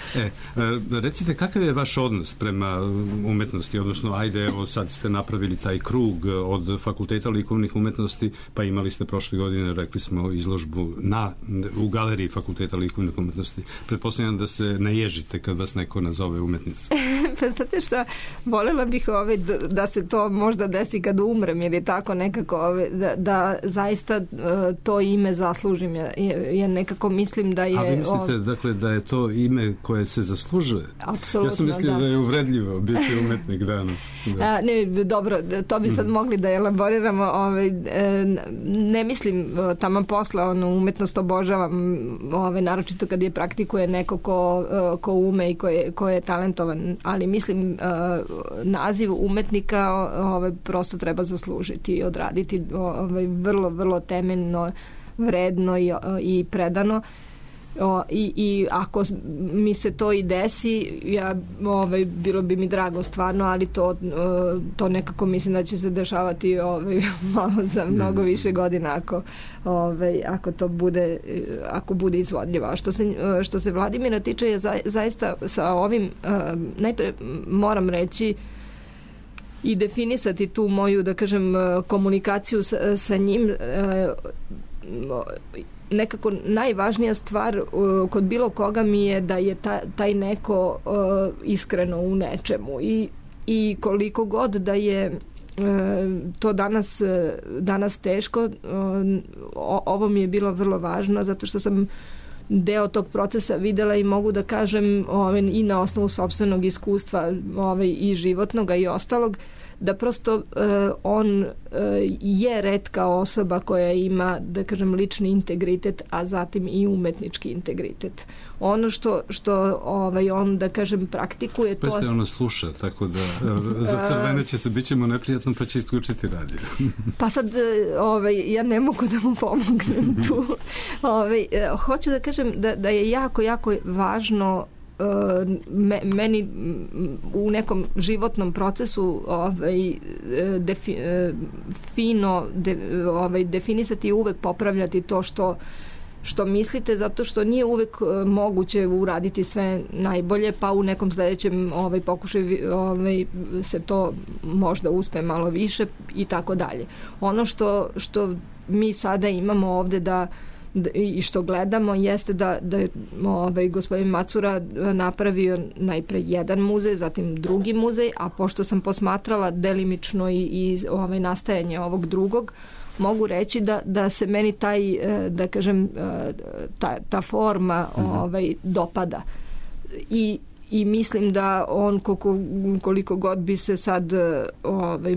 Recite, kakav je vaš odnos prema umetnosti, odnosno, ajde, evo sad ste napravili taj krug od Fakulteta likovnih umetnosti, pa imali ste prošle godine, rekli smo, izložbu u galeriji Fakulteta likovnih umetnosti. Pretpostavljam da se ne ježite kad vas neko nazove umetnicom. Pa znate šta, voljela bih da se to možda desi kad umrem, ili tako nekako, da zaista to ime zaslužim. Ja nekako mislim da je... A vi mislite, dakle, da je to ime koje se zaslužuje? Apsolutno, ja sam mislio da je uvredljivo biti umetnik danas. Da. Ne, dobro, to bi sad mogli da elaboriramo. Ne mislim taman posla, umetnost obožavam, naročito kad je praktikuje neko ko ume i ko je talentovan, ali mislim naziv umetnika prosto treba zaslužiti i odraditi vrlo, vrlo temeljno, vredno i predano. I ako mi se to i desi, bilo bi mi drago stvarno, ali to nekako mislim da će se dešavati malo za mnogo više godina ako to bude, ako bude izvodljivo. A što se Vladimira tiče, je zaista sa ovim, najpre moram reći i definisati tu moju, da kažem, komunikaciju sa njim. Nekako najvažnija stvar kod bilo koga mi je da je taj neko iskreno u nečemu i koliko god da je to danas teško, ovo mi je bilo vrlo važno zato što sam deo tog procesa videla i mogu da kažem i na osnovu sopstvenog iskustva i životnog i ostalog, da prosto on je retka osoba koja ima, da kažem, lični integritet, a zatim i umetnički integritet. Ono što on, da kažem, praktikuje to... Pa ono sluša, tako da za crvene će se, bit ćemo neprijatno, pa će isključiti radio. Pa sad, ja ne mogu da mu pomognem tu. Hoću da kažem da je jako, jako važno meni u nekom životnom procesu fino definisati i uvek popravljati to što mislite, zato što nije uvek moguće uraditi sve najbolje, pa u nekom sledećem pokušaju se to možda uspe malo više i tako dalje. Ono što mi sada imamo ovde i što gledamo jeste da je gospodin Macura napravio najpre jedan muzej, zatim drugi muzej, a pošto sam posmatrala delimično i nastajanje ovog drugog, mogu reći da se meni taj, da kažem, ta forma dopada. I mislim da on koliko god bi se sad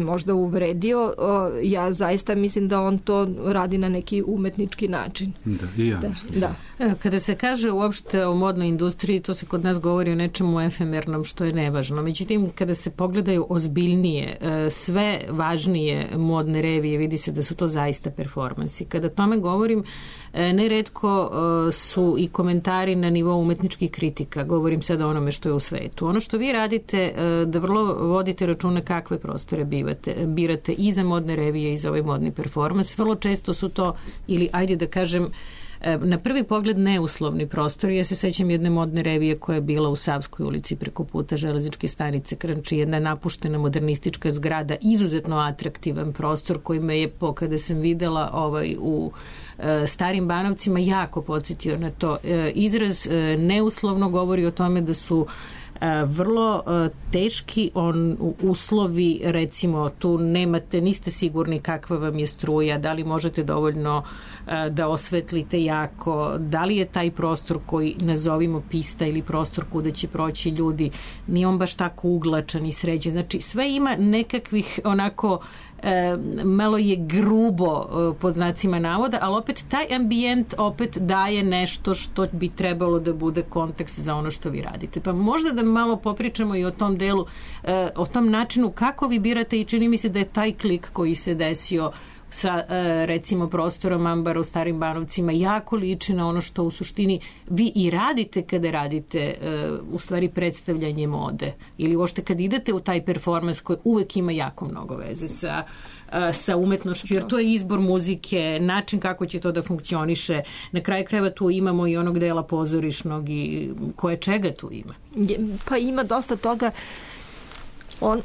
možda uvredio, ja zaista mislim da on to radi na neki umetnički način. Da, i ja mislim. Da. Kada se kaže uopšte o modnoj industriji, to se kod nas govori o nečemu efemernom što je nevažno. Međutim, kada se pogledaju ozbiljnije, sve važnije modne revije, vidi se da su to zaista performansi. Kada tome govorim, neretko su i komentari na nivou umetničkih kritika. Govorim sad o onome što je u svetu. Ono što vi radite, da vrlo vodite računa kakve prostore birate i za modne revije i za ovaj modni performans. Vrlo često su to, ili ajde da kažem, na prvi pogled neuslovni prostori. Ja se sećam jedne modne revije koja je bila u Savskoj ulici preko puta železničke stanice Krnči, jedna napuštena modernistička zgrada, izuzetno atraktivan prostor koji me je, kada sam videla u Starim Banovcima, jako podsjetio na to. Izraz neuslovno govori o tome da su vrlo teški uslovi, recimo tu niste sigurni kakva vam je struja, da li možete dovoljno da osvetlite jako, da li je taj prostor koji nazovimo pista ili prostor kuda će proći ljudi, nije on baš tako uglačan i sređen. Znači sve ima nekakvih onako malo je grubo pod znacima navoda, ali opet taj ambijent opet daje nešto što bi trebalo da bude kontekst za ono što vi radite. Pa možda da malo popričamo i o tom delu, o tom načinu kako vi birate i čini mi se da je taj klik koji se desio sa recimo prostorom Ambara u Starim Banovcima jako liči na ono što u suštini vi i radite kada radite u stvari predstavljanje mode ili uopšte kad idete u taj performans koji uvek ima jako mnogo veze sa umetnošću, jer to je izbor muzike, način kako će to da funkcioniše. Na kraju krajeva tu imamo i onog dela pozorišnog i koje čega tu ima. Pa ima dosta toga.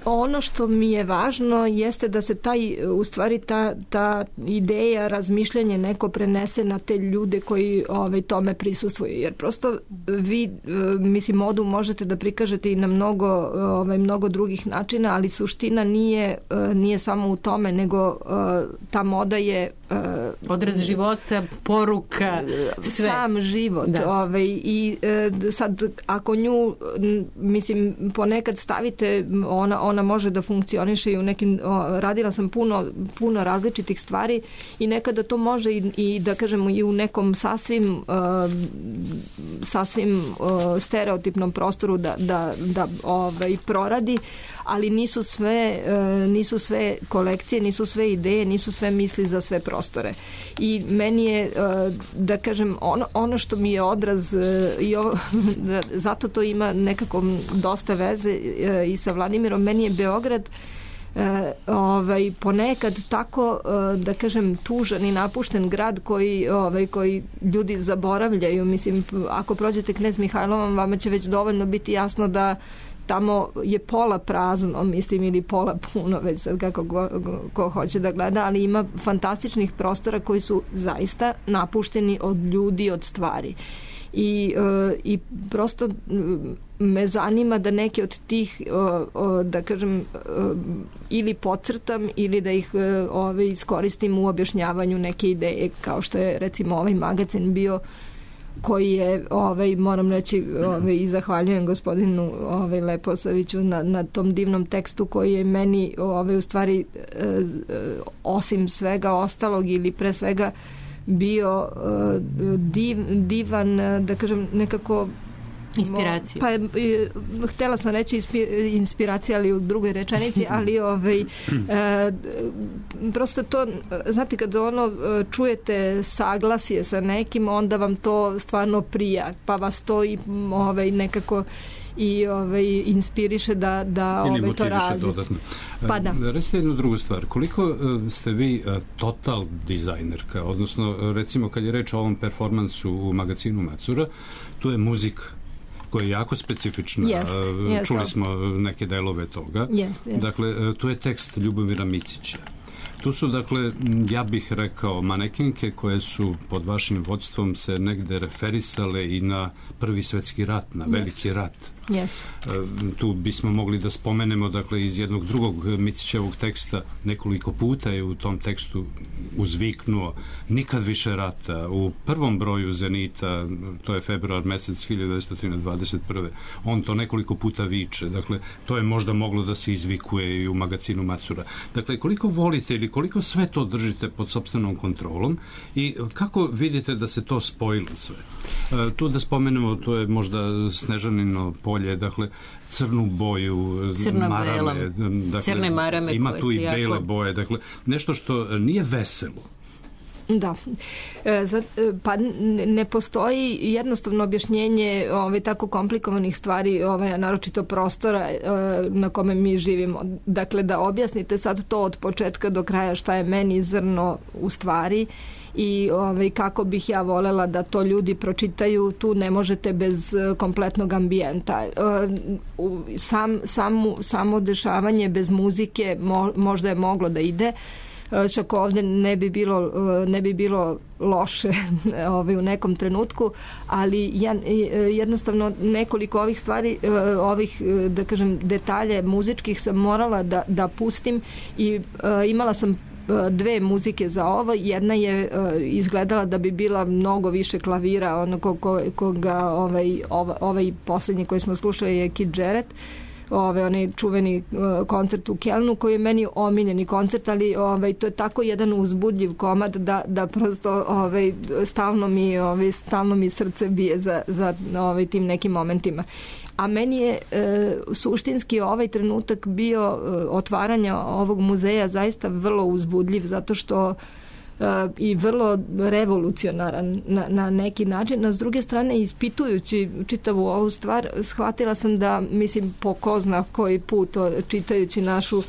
Ono što mi je važno jeste da se u stvari ta ideja, razmišljanje neko prenese na te ljude koji tome prisustvuju. Jer prosto vi, mislim, modu možete da prikažete i na mnogo drugih načina, ali suština nije samo u tome, nego ta moda je odraz života, poruka, sve. Sam život. I sad, ako nju, mislim, ponekad stavite, ona može da funkcioniše i u nekim, radila sam puno različitih stvari i nekada to može i da kažemo i u nekom sasvim stereotipnom prostoru da proradi, ali nisu sve kolekcije, nisu sve ideje, nisu sve misli za sve prostore. I meni je, da kažem, ono što mi je odraz i zato to ima nekako dosta veze i sa Vladimirom, meni je Beograd ponekad tako, da kažem, tužan i napušten grad koji ljudi zaboravljaju. Mislim, ako prođete Knez Mihajlovom, vama će već dovoljno biti jasno da tamo je pola prazno, mislim, ili pola puno, već sad kako ko hoće da gleda, ali ima fantastičnih prostora koji su zaista napušteni od ljudi, od stvari. I prosto me zanima da neke od tih, da kažem, ili podcrtam ili da ih iskoristim u objašnjavanju neke ideje, kao što je recimo ovaj magazin bio, koji je, moram reći, i zahvaljujem gospodinu Leposaviću na tom divnom tekstu koji je meni u stvari osim svega ostalog ili pre svega bio divan, da kažem, nekako inspiracija. Pa htela sam reći inspiracija, ali u drugoj rečenici, ali prosto to, znate, kad čujete saglasje sa nekim, onda vam to stvarno prija, pa vas to i nekako i inspiriše da to razvijete. Dodatno. Pa da. Recite jednu drugu stvar. Koliko ste vi total dizajnerka? Odnosno, recimo, kad je reč o ovom performansu u magazinu Macura, tu je muzika koja je jako specifična. Čuli smo neke delove toga. Dakle, tu je tekst Ljubomira Micića. Tu su, dakle, ja bih rekao, manekenke koje su pod vašim vodstvom se negde referisale i na Prvi svetski rat, na Veliki rat. Tu bismo mogli da spomenemo, dakle, iz jednog drugog Micićevog teksta, nekoliko puta je u tom tekstu uzviknuo nikad više rata. U prvom broju Zenita, to je februar mesec 1921. On to nekoliko puta viče. Dakle, to je možda moglo da se izvikuje i u magazinu Macura. Dakle, koliko volite ili koliko sve to držite pod sopstvenom kontrolom i kako vidite da se to spojilo sve? Tu da spomenemo, to je možda Snežanino polje, dakle, crnu boju, marame, dakle, crne marame, ima tu i bele boje, dakle, nešto što nije veselo. Da. Pa ne postoji jednostavno objašnjenje tako komplikovanih stvari, naročito prostora na kome mi živimo. Dakle, da objasnite sad to od početka do kraja šta je meni zrno u stvari i kako bih ja volela da to ljudi pročitaju, tu ne možete bez kompletnog ambijenta. Samo dešavanje bez muzike možda je moglo da ide, čak ovde ne bi bilo loše u nekom trenutku, ali jednostavno nekoliko ovih stvari, ovih, da kažem, detalje muzičkih sam morala da pustim i imala sam dve muzike za ovo. Jedna je izgledala da bi bila mnogo više klavira, ono koga ovaj poslednji koji smo slušali je Keith Jarrett, onaj čuveni koncert u Kelnu, koji je meni omiljeni koncert, ali to je tako jedan uzbudljiv komad da prosto stalno mi srce bije za tim nekim momentima. A meni je suštinski ovaj trenutak bio otvaranja ovog muzeja zaista vrlo uzbudljiv, zato što i vrlo revolucionaran na neki način. A s druge strane, ispitujući čitavu ovu stvar, shvatila sam da, mislim, po ko zna koji put, čitajući našu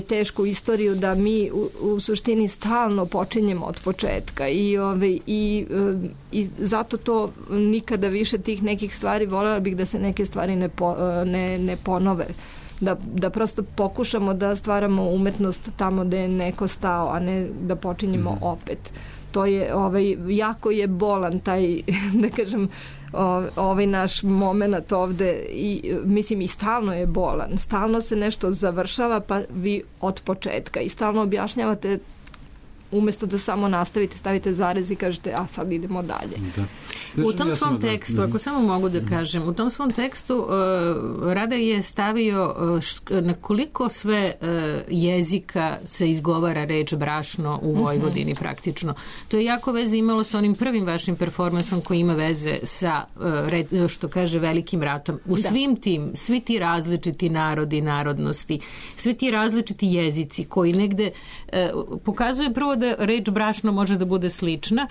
tešku istoriju, da mi u suštini stalno počinjemo od početka i zato to nikada više tih nekih stvari, voljela bih da se neke stvari ne ponove, da prosto pokušamo da stvaramo umetnost tamo gde je neko stao, a ne da počinjemo opet. To je, jako je bolan taj, da kažem, ovaj naš moment ovde i mislim i stalno je bolan. Stalno se nešto završava, pa vi od početka i stalno objašnjavate umesto da samo nastavite, stavite zarez i kažete, a sad idemo dalje. Da. U tom svom tekstu, ako samo mogu da kažem, u tom svom tekstu Rada je stavio na koliko sve jezika se izgovara reč brašno u Vojvodini praktično. To je jako veze imalo sa onim prvim vašim performansom koji ima veze sa, što kaže, Velikim ratom. U svim tim, svi ti različiti narodi, narodnosti, svi ti različiti jezici koji negde pokazuje prvo da reč brašno može da bude slična.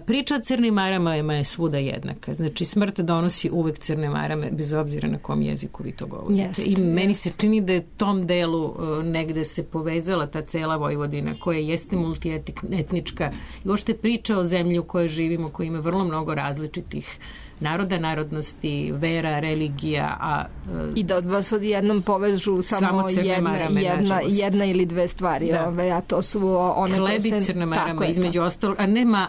Priča o crnim maramama je svuda jednaka. Znači, smrt donosi uvek crne marame, bez obzira na kom jeziku vi to govorite. I meni se čini da je tom delu negde se povezala ta cela Vojvodina, koja jeste multietnička i uopšte priča o zemlji u kojoj živimo, koja ima vrlo mnogo različitih naroda, narodnosti, vera, religija, i da od vas odjednom povežu samo jedna ili dve stvari, a to su one hleb i crna marama, između ostalog,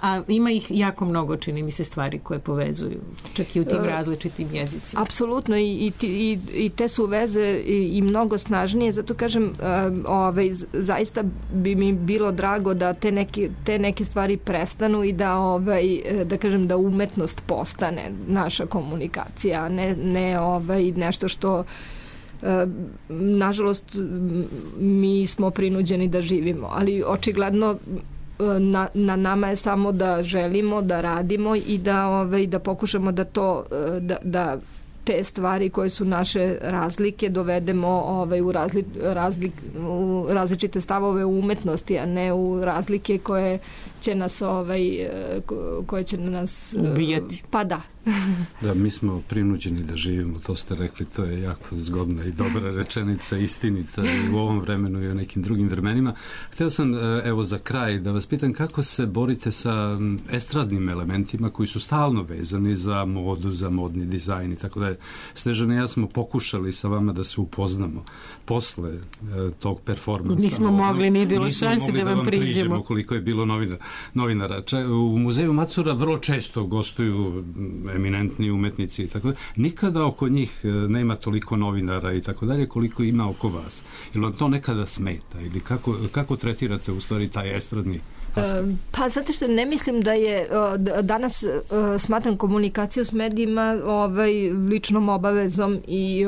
a ima ih jako mnogo, čini mi se, stvari koje povezuju, čak i u tim različitim jezicima. Apsolutno, i te su veze i mnogo snažnije, zato kažem, zaista bi mi bilo drago da te neke stvari prestanu i da kažem da umetnost postane naša komunikacija, ne nešto što nažalost mi smo prinuđeni da živimo, ali očigledno na nama je samo da želimo, da radimo i da pokušamo da te stvari koje su naše razlike dovedemo u različite stavove u umetnosti, a ne u razlike koje će nas ubijati. Pa da. Da, mi smo prinuđeni da živimo, to ste rekli, to je jako zgodna i dobra rečenica, istinita i u ovom vremenu i u nekim drugim vremenima. Hteo sam, evo za kraj, da vas pitam kako se borite sa estradnim elementima koji su stalno vezani za modu, za modni dizajn i tako da je. Snežana i ja smo pokušali sa vama da se upoznamo posle tog performansa. Nismo mogli, nije bilo šanse da vam priđemo. Koliko je bilo novinara. U muzeju Macura vrlo često gostuju eminentni umetnici i tako da. Nikada oko njih nema toliko novinara i tako dalje koliko ima oko vas. Ili vam to nekada smeta? Ili kako tretirate u stvari taj estradni aspekt? Pa zato što ne mislim da je danas smatram komunikaciju s medijima ličnom obavezom i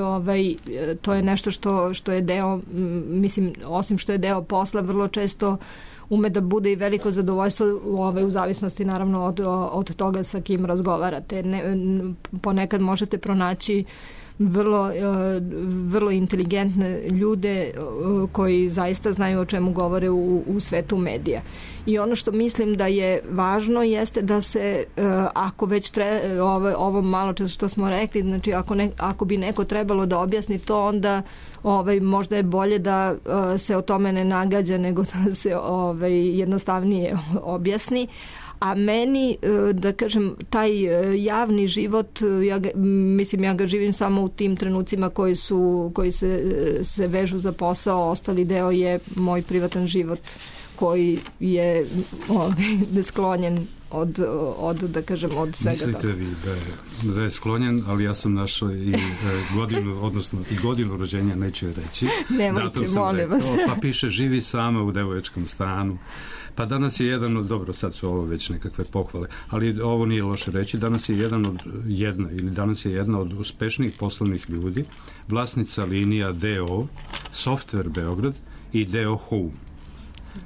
to je nešto što je deo, mislim, osim što je deo posla, vrlo često ume da bude i veliko zadovoljstvo u zavisnosti naravno od toga sa kim razgovarate. Ponekad možete pronaći vrlo inteligentne ljude koji zaista znaju o čemu govore u svetu medija. I ono što mislim da je važno jeste da se, ako već ovo malo što smo rekli, znači ako bi neko trebalo da objasni to, onda možda je bolje da se o tome ne nagađa nego da se jednostavnije objasni. A meni, da kažem, taj javni život, ja ga živim samo u tim trenucima koji se vežu za posao, ostali deo je moj privatan život koji je nesklonjen od da kažem, od svega toga. Mislite vi da je sklonjen, ali ja sam našao i godinu, odnosno i godinu rođenja, neću je reći. Nemojte, molim vas. Pa piše živi sama u devojačkom stanu. Pa danas je jedan od, dobro, sad su ovo već nekakve pohvale, ali ovo nije loše reći, danas je jedna od uspešnijih poslovnih ljudi, vlasnica linija DO, Software Beograd i DO Home.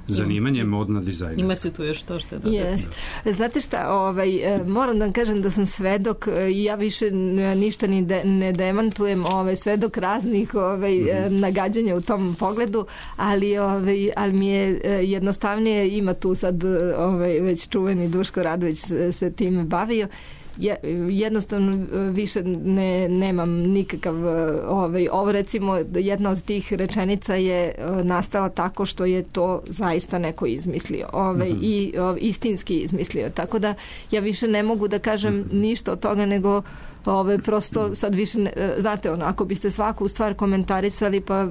Zanimanje modna dizajner. Ima se tu još to što dodati. Yes. Znate šta, moram da vam kažem da sam svedok, ja više ništa ne demantujem, svedok raznih nagađanja u tom pogledu, ali mi je jednostavnije, ima tu sad već čuveni Duško Radović se time bavio. Jednostavno više nemam nikakav ovo recimo jedna od tih rečenica je nastala tako što je to zaista neko izmislio i istinski izmislio, tako da ja više ne mogu da kažem ništa od toga nego prosto sad više znate ako biste svaku stvar komentarisali pa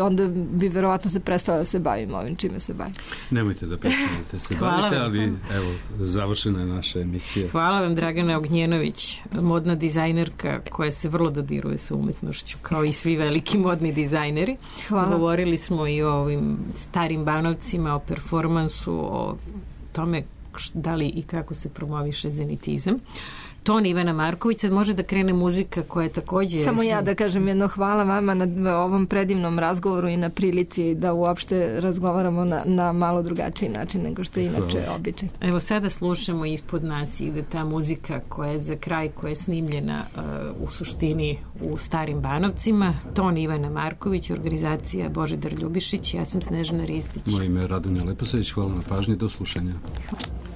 onda bi verovatno se prestala da se bavim ovim čime se bavim. Nemojte da prestanete se bavite, ali evo završena je naša emisija. Hvala vam Dragana Ognjenović, modna dizajnerka koja se vrlo dodiruje sa umetnošću kao i svi veliki modni dizajneri. Hvala. Govorili smo i o ovim starim Banovcima, o performansu, o tome da li i kako se promoviše zenitizam. Ton Ivana Marković, sad može da krene muzika koja je također... Samo ja da kažem jedno hvala vama na ovom predivnom razgovoru i na prilici da uopšte razgovaramo na malo drugačiji način nego što je inače običaj. Evo sada slušamo Ispod nas ide ta muzika koja je za kraj, koja je snimljena u suštini u Starim Banovcima. Ton Ivana Marković, organizacija Božidar Ljubišić, ja sam Snežana Ristić. Moje ime je Radonja Leposavić, hvala na pažnji, do slušanja. Hvala.